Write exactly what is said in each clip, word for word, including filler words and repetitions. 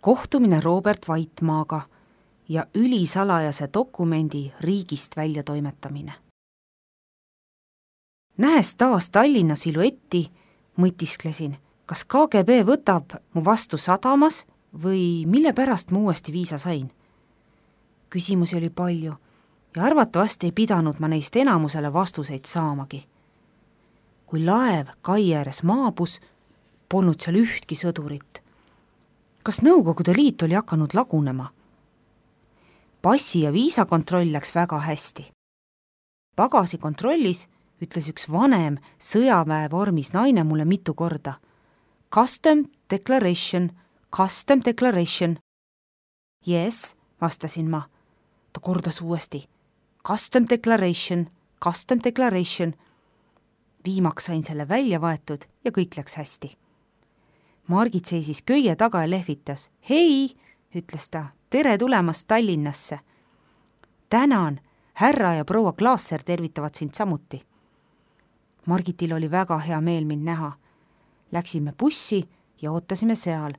kohtumine Robert Vaitmaaga ja ülisalajase dokumendi riigist välja toimetamine. Nähes taas Tallinna siluetti, mõtisklesin, kas K G B võtab mu vastu sadamas või mille pärast ma uuesti viisa sain. Küsimusi oli palju ja arvatavasti ei pidanud ma neist enamusele vastuseid saamagi. Kui laev kai ääres maabus, polnud seal ühtki sõdurit. Kas Nõukogude Liit oli hakanud lagunema? Passi ja viisakontroll läks väga hästi. Pagasi kontrollis ütles üks vanem sõjaväe vormis naine mulle mitu korda. Custom declaration, custom declaration. Yes, vastasin ma. Ta kordas uuesti. Custom declaration, custom declaration. Viimaks sain selle välja võetud ja kõik läks hästi. Margit seisis köie taga ja lehvitas. Hei, ütles ta, tere tulemast Tallinnasse. Tänan, härra ja proua Klaasser tervitavad sind samuti. Margitil oli väga hea meel mind näha. Läksime bussi ja ootasime seal,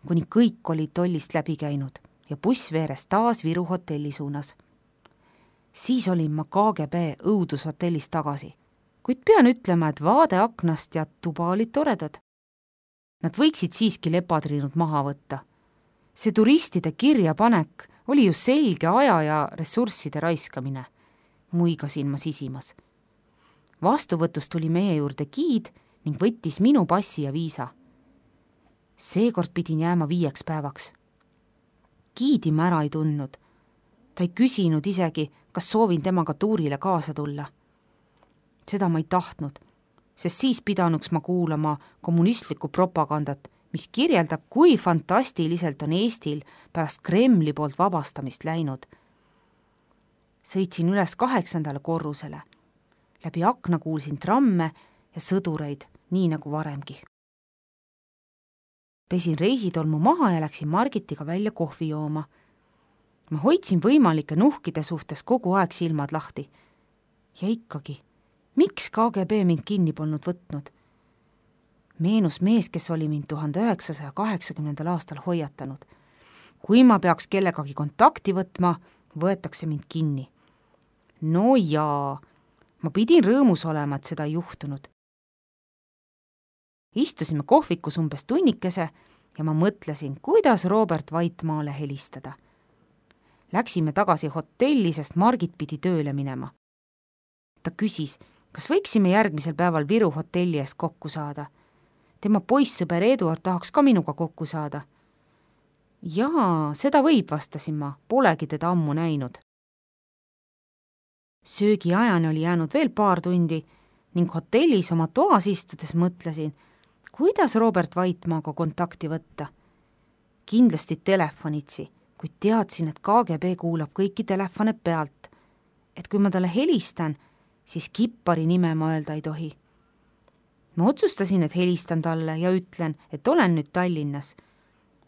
kuni kõik olid tollist läbi käinud ja buss veeres taas Viru hotelli suunas. Siis olin ma K G B õudushotellis tagasi, kuid pean ütlema, et vaade aknast ja tuba olid toredad. Nad võiksid siiski lepatriinud maha võtta. See turistide kirjapanek oli ju selge aja ja ressursside raiskamine. Muigasin ma sisimas. Vastuvõtust tuli meie juurde giid ning võttis minu passi ja viisa. Seekord pidin jääma viieks päevaks. Giidi ma ära ei tundnud. Ta ei küsinud isegi, kas soovin temaga tuurile kaasa tulla. Seda ma ei tahtnud, sest siis pidanuks ma kuulama kommunistlikku propagandat, mis kirjeldab, kui fantastiliselt on Eestil pärast Kremli poolt vabastamist läinud. Sõitsin üles kaheksandale korrusele. Läbi akna kuulsin tramme ja sõdureid, nii nagu varemgi. Pesin reisitolmu maha ja läksin Margitiga välja kohvi jooma. Ma hoidsin võimalike nuhkide suhtes kogu aeg silmad lahti. Ja ikkagi, miks K G B mind kinni polnud võtnud? Meenus mees, kes oli mind tuhande üheksasaja kaheksakümnendal aastal hoiatanud. Kui ma peaks kellegagi kontakti võtma, võetakse mind kinni. No jaa, ma pidin rõõmus olema, et seda ei juhtunud. Istusime kohvikus umbes tunnikese ja ma mõtlesin, kuidas Robert Vaitmaale helistada. Läksime tagasi hotelli, sest Margit pidi tööle minema. Ta küsis, kas võiksime järgmisel päeval Viru hotelli ees kokku saada. Tema poissõber Eduard tahaks ka minuga kokku saada. Jaa, seda võib, vastasin ma, polegi teda ammu näinud. Söögi ajani oli jäänud veel paar tundi ning hotellis oma toas istudes mõtlesin, kuidas Robert Vaitmaaga kontakti võtta. Kindlasti telefonitsi, kuid teadsin, et K G B kuulab kõiki telefone pealt, et kui ma talle helistan, siis kippari nime ma öelda ei tohi. Ma otsustasin, et helistan talle ja ütlen, et olen nüüd Tallinnas.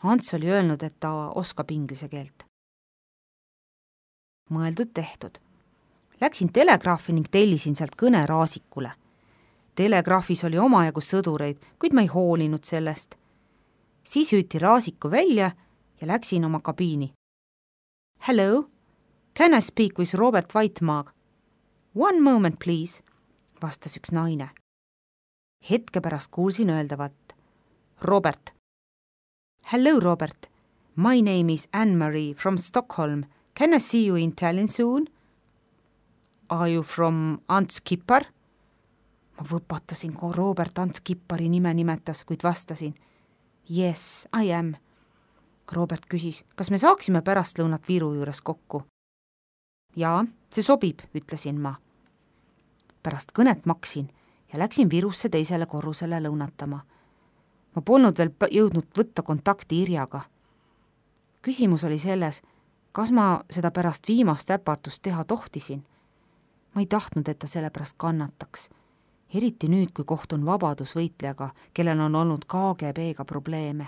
Ants oli öelnud, et ta oskab inglise keelt. Mõeldud tehtud. Läksin telegraafi ning tellisin sealt kõne Raasikule. Telegraafis oli omajagu sõdureid, kuid ma ei hoolinud sellest. Siis hüüti Raasiku välja ja läksin oma kabiini. Hello, can I speak with Robert Vaitmaag? One moment, please, vastas üks naine. Hetke pärast kuulsin öeldavat. Robert. Hello, Robert. My name is Anne-Marie from Stockholm. Can I see you in Tallinn soon? Are you from Ants Kippar? Ma võpatasin, kui Robert Ants Kippari nime nimetas, kuid vastasin. Yes, I am. Robert küsis, kas me saaksime pärast lõunat Viru juures kokku? Jaa, see sobib, ütlesin ma. Pärast kõnet maksin ja läksin Virusse teisele korrusele lõunatama. Ma polnud veel jõudnud võtta kontakti Irjaga. Küsimus oli selles, kas ma seda pärast viimast äpatust teha tohtisin. Ma ei tahtnud, et ta selle pärast kannataks. Eriti nüüd, kui kohtun vabadusvõitlejaga, kellel on olnud K G B-ga probleeme.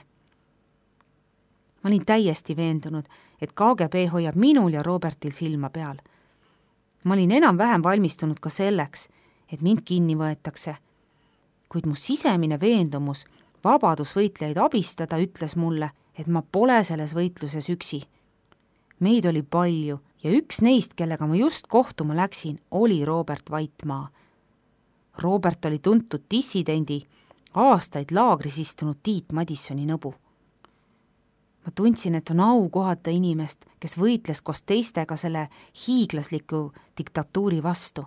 Ma olin täiesti veendunud, et K G B hoiab minul ja Robertil silma peal. Ma olin enam-vähem valmistunud ka selleks, et mind kinni võetakse. Kuid mu sisemine veendumus vabadusvõitlejaid abistada ütles mulle, et ma pole selles võitluses üksi. Meid oli palju ja üks neist, kellega ma just kohtuma läksin, oli Robert Vaitmaa. Robert oli tuntud dissidendi, aastaid laagris istunud Tiit Madissoni nõbu. Ma tundsin, et on au kohata inimest, kes võitles koos teistega selle hiiglasliku diktatuuri vastu.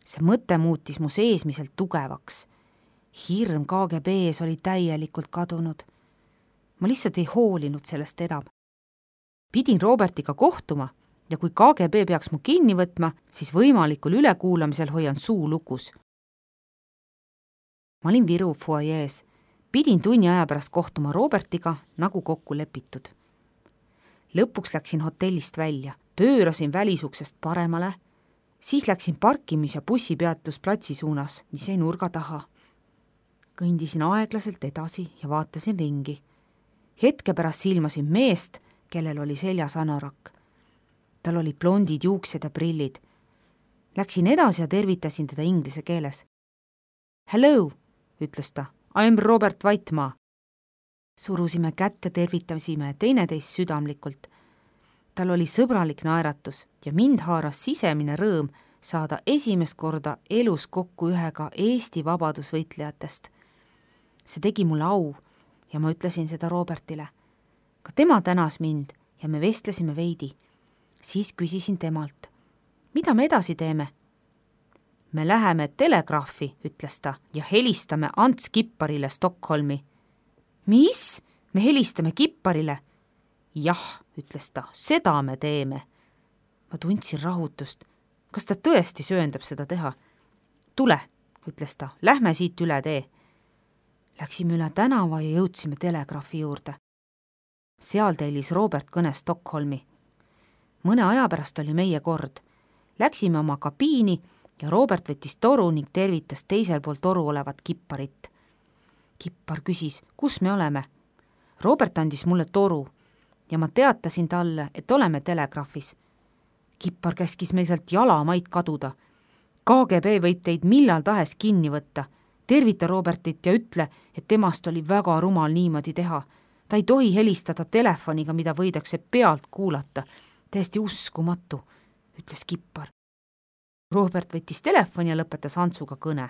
See mõte muutis mu seesmiselt tugevaks. Hirm K G B ees oli täielikult kadunud. Ma lihtsalt ei hoolinud sellest enam. Pidin Robertiga kohtuma ja kui K G B peaks mu kinni võtma, siis võimalikul ülekuulamisel hoian suu lukus. Ma olin Viru fuajees. Pidin tunni aja pärast kohtuma Robertiga, nagu kokku lepitud. Lõpuks läksin hotellist välja, pöörasin välisuksest paremale, siis läksin parkimis- ja bussipeatus platsi suunas, mis jäi nurga taha. Kõndisin aeglaselt edasi ja vaatasin ringi. Hetke pärast silmasin meest, kellel oli seljas anorak. Tal oli blondid juuksed ja prillid. Läksin edasi ja tervitasin teda inglise keeles. Hello, ütles ta. I am Robert Vaitmaa. Surusime kätte, tervitasime teineteist südamlikult. Tal oli sõbralik naeratus ja mind haaras sisemine rõõm saada esimest korda elus kokku ühega Eesti vabadusvõitlejatest. See tegi mulle au ja ma ütlesin seda Robertile. Ka tema tänas mind ja me vestlesime veidi. Siis küsisin temalt, mida me edasi teeme? Me läheme telegraafi, ütles ta, ja helistame Ants Kipparile Stockholmi. Mis? Me helistame Kipparile? Jah, ütles ta, seda me teeme. Ma tundsin rahutust. Kas ta tõesti sööndab seda teha? Tule, ütles ta, lähme siit üle tee. Läksime üle tänava ja jõudsime telegraafi juurde. Seal tellis Robert kõne Stockholmi. Mõne aja pärast oli meie kord. Läksime oma kabiini ja Robert võttis toru ning tervitas teisel pool toru olevat Kipparit. Kippar küsis, kus me oleme. Robert andis mulle toru ja ma teatasin talle, et oleme telegraafis. Kippar käskis meil sealt jalamaid kaduda. K G B võib teid millal tahes kinni võtta. Tervita Robertit ja ütle, et temast oli väga rumal niimoodi teha. Ta ei tohi helistada telefoniga, mida võidakse pealt kuulata. Täiesti uskumatu, ütles Kippar. Robert võttis telefoni ja lõpetas Antsuga kõne.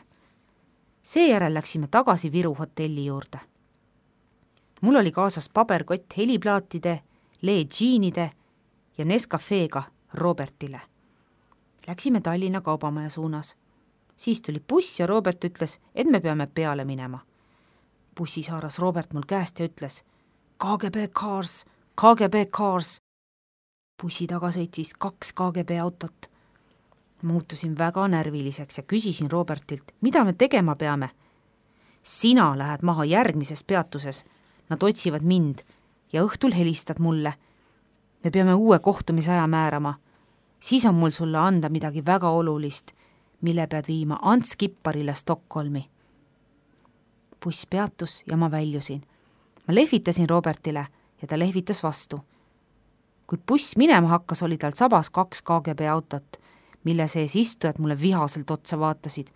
Seejärel läksime tagasi Viru hotelli juurde. Mul oli kaasas paberkott heliplaatide, Lee džiinide ja Nescafeega Robertile. Läksime Tallinna kaubamaja suunas. Siis tuli buss ja Robert ütles, et me peame peale minema. Bussis haaras Robert mul käest ja ütles, K G B cars, K G B cars. Bussi taga sõitis kaks K G B autot. Muutusin väga närviliseks ja küsisin Robertilt, mida me tegema peame. Sina lähed maha järgmises peatuses. Nad otsivad mind ja õhtul helistad mulle. Me peame uue kohtumisaja määrama. Siis on mul sulle anda midagi väga olulist, mille pead viima Ants Kipparile Stockholmi. Buss peatus ja ma väljusin. Ma lehvitasin Robertile ja ta lehvitas vastu. Kui buss minema hakkas, oli tal sabas kaks K G B autot, mille sees istujad mulle vihaselt otsa vaatasid,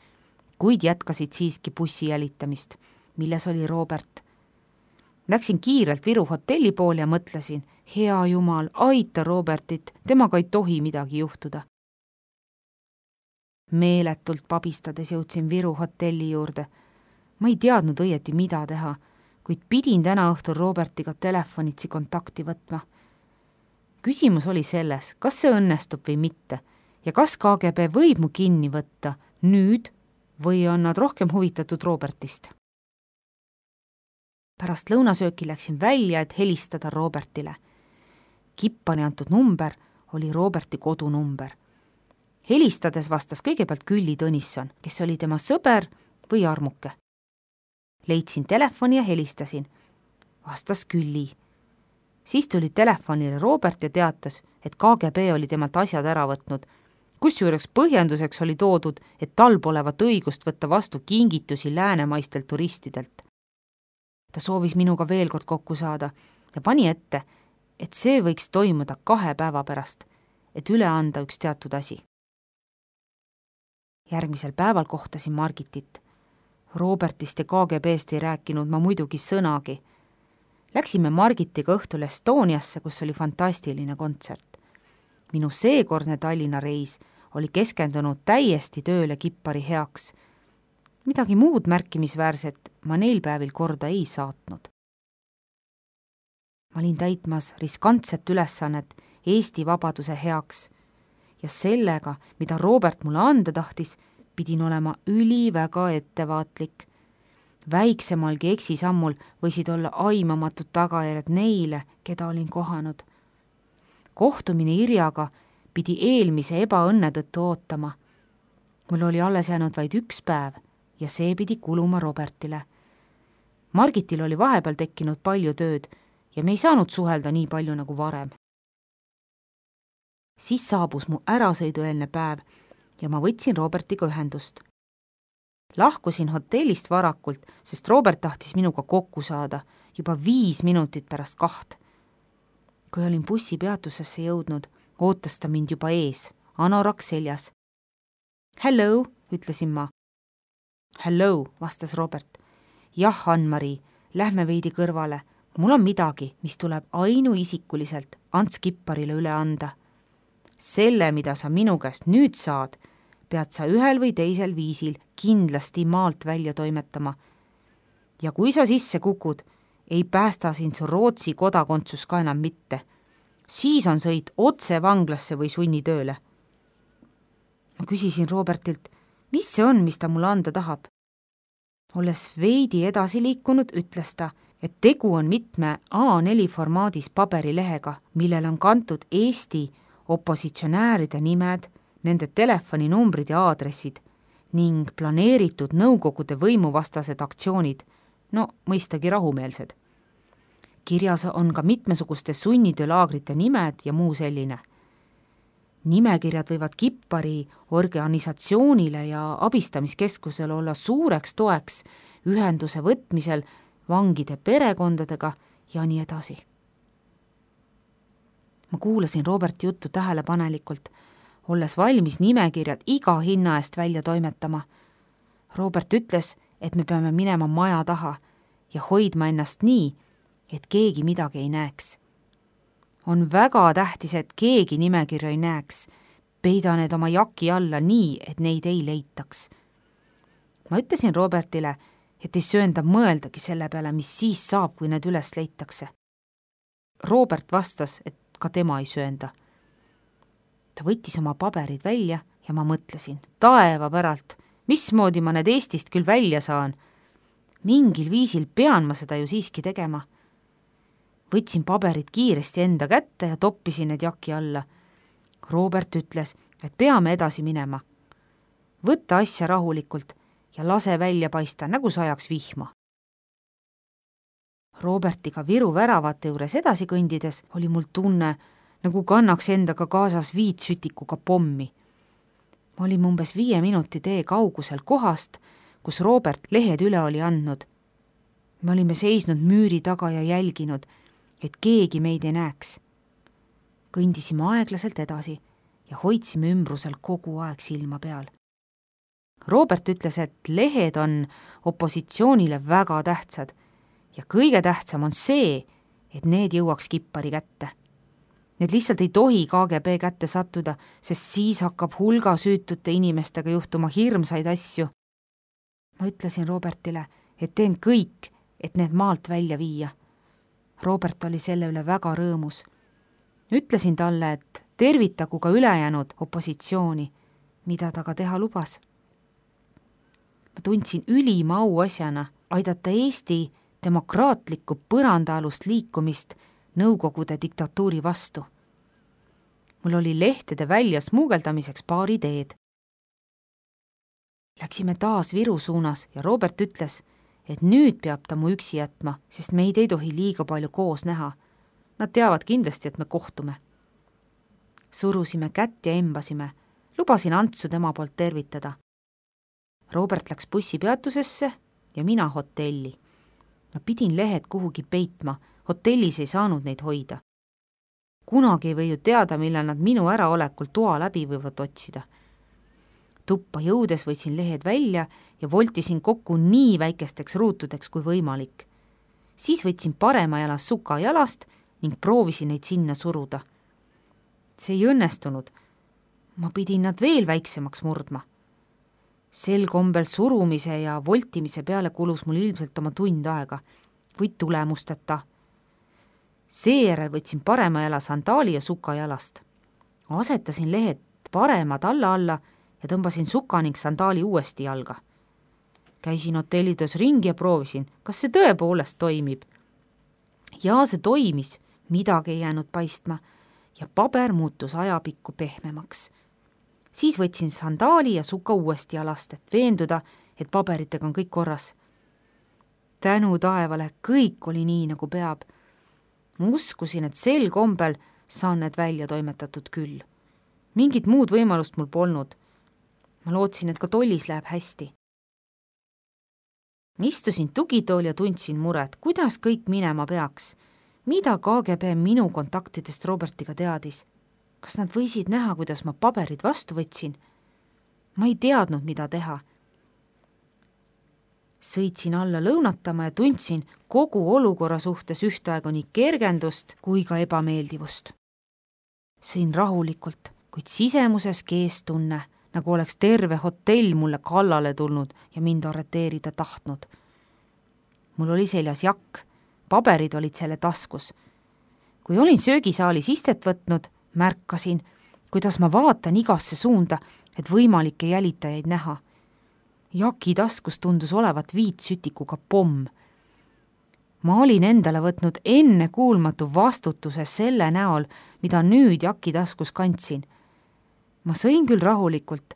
kuid jätkasid siiski bussi jälitamist, milles oli Robert. Läksin kiirelt Viru hotelli poole ja mõtlesin, hea jumal, aita Robertit, temaga ei tohi midagi juhtuda. Meeletult pabistades jõudsin Viru hotelli juurde. Ma ei teadnud õieti, mida teha, kuid pidin täna õhtul Robertiga telefonitsi kontakti võtma. Küsimus oli selles, kas see õnnestub või mitte ja kas K G B võib mu kinni võtta nüüd või on nad rohkem huvitatud Robertist. Pärast lõunasööki läksin välja, et helistada Robertile. Kippari antud number oli Roberti kodunumber. Helistades vastas kõigepealt Külli Tõnisson, kes oli tema sõber või armuke. Leidsin telefoni ja helistasin. Vastas Külli. Siis tuli telefonile Robert ja teatas, et K G B oli temalt asjad ära võtnud. Kusjuures põhjenduseks oli toodud, et tal polevat õigust võtta vastu kingitusi läänemaistelt turistidelt. Ta soovis minuga veel kord kokku saada ja pani ette, et see võiks toimuda kahe päeva pärast, et üle anda üks teatud asi. Järgmisel päeval kohtasin Margitit. Robertist ja K G B-st ei rääkinud ma muidugi sõnagi. Läksime Margitiga õhtul Estoniasse, kus oli fantastiline kontsert. Minu seekordne Tallinna reis oli keskendunud täiesti tööle Kippari heaks. Midagi muud märkimisväärset ma neil päevil korda ei saatnud. Ma olin täitmas riskantset ülesannet Eesti vabaduse heaks ja sellega, mida Robert mulle anda tahtis, pidin olema üliväga ettevaatlik. Väiksemalgi eksisammul võisid olla aimamatud tagajärjed neile, keda olin kohanud. Kohtumine Irjaga pidi eelmise ebaõnne tõttu ootama. Mul oli alles jäänud vaid üks päev ja see pidi kuluma Robertile. Margitil oli vahepeal tekkinud palju tööd ja me ei saanud suhelda nii palju nagu varem. Siis saabus mu ärasõidueelne päev ja ma võtsin Robertiga ühendust. Lahkusin hotellist varakult, sest Robert tahtis minuga kokku saada juba viis minutit pärast kaht. Kui olin bussi peatusesse jõudnud, ootas ta mind juba ees, anorak seljas. Hello, ütlesin ma. Hello, vastas Robert. Jah, Ann-Marii, lähme veidi kõrvale. Mul on midagi, mis tuleb ainuisikuliselt Ants Kipparile üle anda. Selle, mida sa minu käest nüüd saad, pead sa ühel või teisel viisil kindlasti maalt välja toimetama. Ja kui sa sisse kukud, ei päästa sind su Rootsi kodakondsus ka enam mitte. Siis on sõit otse vanglasse või sunnitööle. Ma küsisin Robertilt, mis see on, mis ta mulle anda tahab. Olles veidi edasi liikunud, ütles ta, et tegu on mitme A neli formaadis paberilehega, millel on kantud Eesti opositsionääride nimed, nende telefoninumbrid ja aadressid ning planeeritud nõukogude võimuvastased aktsioonid, no mõistagi rahumeelsed. Kirjas on ka mitmesuguste sunnitöölaagrite nimed ja muu selline. Nimekirjad võivad Kippari organisatsioonile ja abistamiskeskusel olla suureks toeks ühenduse võtmisel vangide perekondadega ja nii edasi. Ma kuulasin Roberti juttu tähelepanelikult, olles valmis nimekirjad iga hinna eest välja toimetama. Robert ütles, et me peame minema maja taha ja hoidma ennast nii, et keegi midagi ei näeks. On väga tähtis, et keegi nimekirja ei näeks. Peida need oma jaki alla nii, et neid ei leitaks. Ma ütlesin Robertile, et ei söönda mõeldagi selle peale, mis siis saab, kui need üles leitakse. Robert vastas, et ka tema ei söönda. Ta võttis oma paberid välja ja ma mõtlesin, taeva päralt, mismoodi ma need Eestist küll välja saan. Mingil viisil pean ma seda ju siiski tegema. Võtsin paberid kiiresti enda kätte ja toppisin need jaki alla. Robert ütles, et peame edasi minema. Võtta asja rahulikult ja lase välja paista, nagu sajaks vihma. Robertiga Viru väravate juures edasi kõndides oli mul tunne, nagu kannaks endaga kaasas viitsütikuga pommi. Ma olin umbes viie minuti tee kaugusel kohast, kus Robert lehed üle oli andnud. Me olime seisnud müüri taga ja jälginud, et keegi meid ei näeks. Kõndisime aeglaselt edasi ja hoidsime ümbrusel kogu aeg silma peal. Robert ütles, et lehed on opositsioonile väga tähtsad ja kõige tähtsam on see, et need jõuaks Kippari kätte. Need lihtsalt ei tohi K G B kätte sattuda, sest siis hakkab hulga süütute inimestega juhtuma hirmsaid asju. Ma ütlesin Robertile, et teen kõik, et need maalt välja viia. Robert oli selle üle väga rõõmus. Ütlesin talle, et tervitagu ka ülejäänud opositsiooni, mida ta ka teha lubas. Ma tundsin ülima au asjana aidata Eesti demokraatlikku põrandaalust liikumist Nõukogude diktatuuri vastu. Mul oli lehtede välja smuugeldamiseks paar ideed. Läksime taas Viru suunas ja Robert ütles, et nüüd peab ta mu üksi jätma, sest meid ei tohi liiga palju koos näha. Nad teavad kindlasti, et me kohtume. Surusime kätt ja embasime. Lubasin Antsu tema poolt tervitada. Robert läks bussipeatusesse ja mina hotelli. Ma pidin lehed kuhugi peitma, hotellis ei saanud neid hoida. Kunagi ei või ju teada, millal nad minu äraolekul toa läbi võivad otsida. Tuppa jõudes võtsin lehed välja ja voltisin kokku nii väikesteks ruutudeks kui võimalik. siis võtsin parema jala suka jalast ning proovisin neid sinna suruda. See ei õnnestunud. Ma pidin nad veel väiksemaks murdma. Sel kombel surumise ja voltimise peale kulus mul ilmselt oma tund aega või tulemusteta. Seejärel võtsin parema jala sandaali ja suka jalast. Asetasin lehed paremad alla alla ja tõmbasin suka ning sandaali uuesti jalga. Käisin hotellides ringi ja proovisin, kas see tõepoolest toimib. Ja see toimis, midagi ei jäänud paistma ja paber muutus ajapikku pehmemaks. Siis võtsin sandaali ja suka uuesti jalast, et veenduda, et paberitega on kõik korras. Tänu taevale, kõik oli nii, nagu peab. Ma uskusin, et sel kombel saan need välja toimetatud küll. Mingit muud võimalust mul polnud. Ma lootsin, et ka tollis läheb hästi. Istusin tugitool ja tundsin muret, kuidas kõik minema peaks. Mida K G B minu kontaktidest Robertiga teadis? Kas nad võisid näha, kuidas ma paberid vastu võtsin? Ma ei teadnud, mida teha. Sõitsin alla lõunatama ja tundsin kogu olukorra suhtes ühtaegu nii kergendust kui ka ebameeldivust. Sõin rahulikult, kuid sisemuses kees tunne, nagu oleks terve hotell mulle kallale tulnud ja mind arreteerida tahtnud. Mul oli seljas jakk, paberid olid selle taskus. Kui olin söögisaalis istet võtnud, märkasin, kuidas ma vaatan igasse suunda, et võimalikke jälitajaid näha. Jaki taskus tundus olevat viitsütikuga pomm. Ma olin endale võtnud enne kuulmatu vastutuse selle näol, mida nüüd Jaki taskus kandsin. Ma sõin küll rahulikult,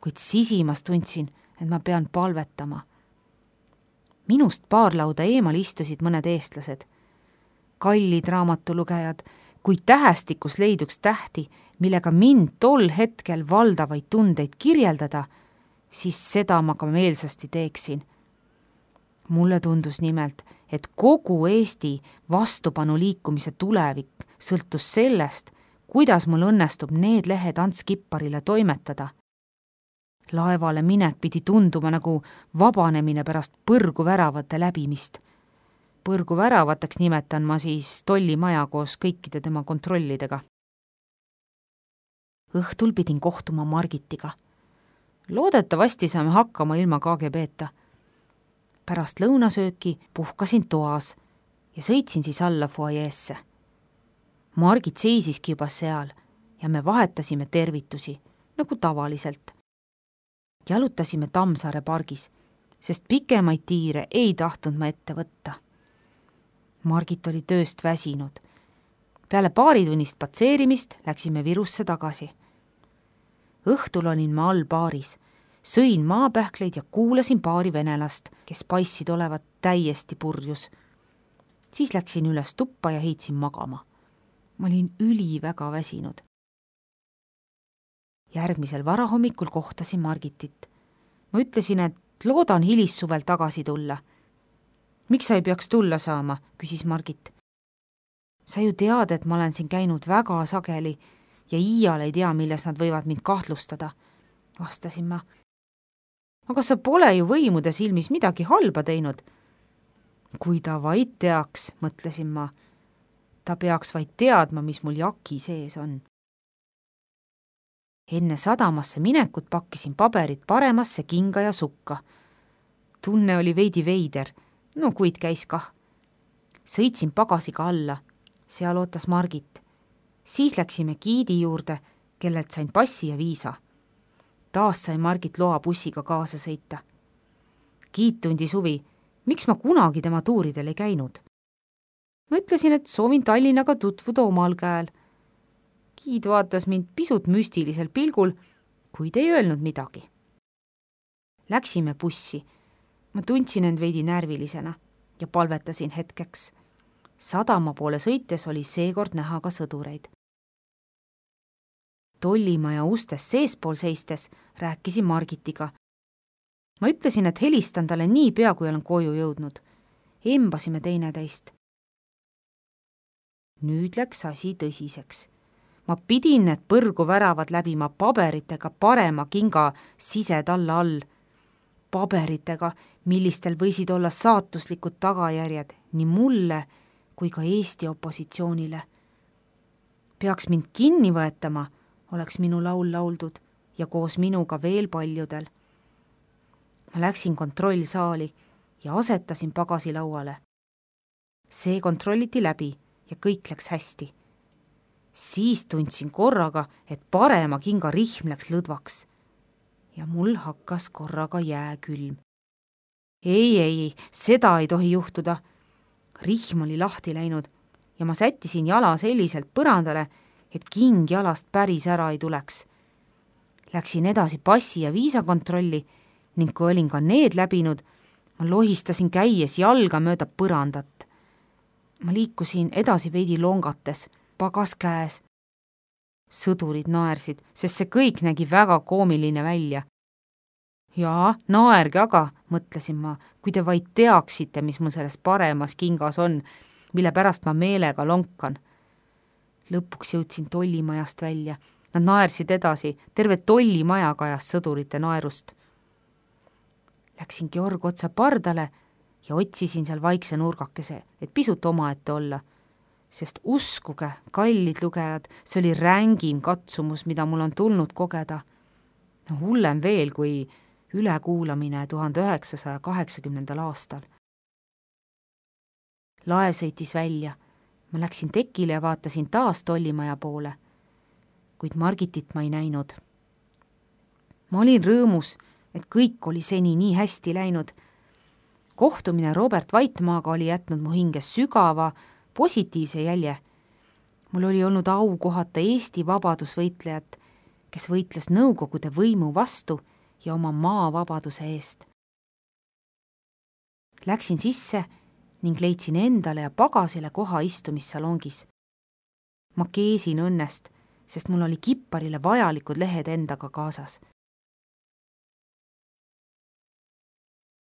kuid sisimas tundsin, et ma pean palvetama. Minust paar lauda eemal istusid mõned eestlased. Kallid raamatulugejad, kui tähestikus leiduks tähti, millega mind tol hetkel valdavaid tundeid kirjeldada, siis seda ma ka meelsasti teeksin. Mulle tundus nimelt, et kogu Eesti vastupanu liikumise tulevik sõltus sellest, kuidas mul õnnestub need lehed Ants Kipparile toimetada. Laevale minek pidi tunduma nagu vabanemine pärast põrgu väravate läbimist. Põrgu väravateks nimetan ma siis tollimaja koos kõikide tema kontrollidega. Õhtul pidin kohtuma Margitiga. Loodetavasti saame hakkama ilma K G B-ta. Pärast lõunasööki puhkasin toas ja sõitsin siis alla fuajeesse. Margit seisiski juba seal ja me vahetasime tervitusi, nagu tavaliselt. Jalutasime Tammsaare pargis, sest pikemaid tiire ei tahtnud ma ette võtta. Margit oli tööst väsinud. Peale paari tunnist patseerimist läksime Virusse tagasi. Õhtul olin ma all baaris, sõin maapähkleid ja kuulasin paari venelast, kes paissid olevat täiesti purjus. Siis läksin üles tuppa ja heitsin magama. Ma olin üli väga väsinud. Järgmisel varahommikul kohtasin Margitit. Ma ütlesin, et loodan hilissuvel tagasi tulla. Miks sa ei peaks tulla saama, küsis Margit. Sa ju tead, et ma olen siin käinud väga sageli ja iial ei tea, milles nad võivad mind kahtlustada, vastasin ma. Aga sa pole ju võimude silmis midagi halba teinud. Kui ta vaid teaks, mõtlesin ma. Ta peaks vaid teadma, mis mul Jaki sees on. Enne sadamasse minekut pakkisin paberid paremasse kinga ja sukka. Tunne oli veidi veider, no kuid käis kah. Sõitsin pagasiga alla, seal ootas Margit. Siis läksime giidi juurde, kellelt sain passi ja viisa. Taas sai Margit loa bussiga kaasa sõita. Giid tundis huvi, miks ma kunagi tema tuuridel ei käinud. Ma ütlesin, et soovin Tallinnaga tutvuda omal käel. Giid vaatas mind pisut müstilisel pilgul, kuid ei öelnud midagi. Läksime bussi. Ma tundsin end veidi närvilisena ja palvetasin hetkeks. Sadama poole sõites oli seekord näha ka sõdureid. Tollimaja ustes seespool seistes rääkisin Margitiga. Ma ütlesin, et helistan talle nii pea, kui olen koju jõudnud. Embasime teineteist. Nüüd läks asi tõsiseks. Ma pidin need põrgu väravad läbima paberitega parema kinga sisetalla all. paberitega, millistel võisid olla saatuslikud tagajärjed nii mulle kui ka Eesti opositsioonile. Peaks mind kinni võetama, oleks minu laul lauldud ja koos minuga veel paljudel. Ma läksin kontrollsaali ja asetasin pagasi lauale. See kontrolliti läbi ja kõik läks hästi. Siis tundsin korraga, et parema kinga rihm läks lõdvaks ja mul hakkas korraga jääkülm. Ei, ei, seda ei tohi juhtuda. Rihm oli lahti läinud ja ma sättisin jala selliselt põrandale, et king jalast päris ära ei tuleks. Läksin edasi passi ja viisakontrolli ning kui olin ka need läbinud, ma lohistasin käies jalga mööda põrandat. Ma liikusin edasi veidi longates, pagas käes. Sõdurid naersid, sest see kõik nägi väga koomiline välja. Jaa, naerge aga, mõtlesin ma, kui te vaid teaksite, mis mul selles paremas kingas on, mille pärast ma meelega lonkan. Lõpuks jõudsin tollimajast välja. Nad naersid edasi, terve tollimaja kajas sõdurite naerust. Läksin Georg otsa pardale ja otsisin seal vaikse nurgakese, et pisut omaette olla. Sest uskuge, kallid lugejad, see oli rängim katsumus, mida mul on tulnud kogeda. No, hullem veel kui ülekuulamine tuhande üheksasaja kaheksakümnendal aastal. Laev sõitis välja. Ma läksin tekile ja vaatasin taas tollimaja poole, kuid Margitit ma ei näinud. Ma olin rõõmus, et kõik oli seni nii hästi läinud. Kohtumine Robert Vaitmaaga oli jätnud mu hinge sügava, positiivse jälje. Mul oli olnud au kohata Eesti vabadusvõitlejat, kes võitles Nõukogude võimu vastu ja oma maa vabaduse eest. Läksin sisse ning leidsin endale ja pagasile koha istumissalongis. Ma keesin õnnest, sest mul oli kipparile vajalikud lehed endaga kaasas.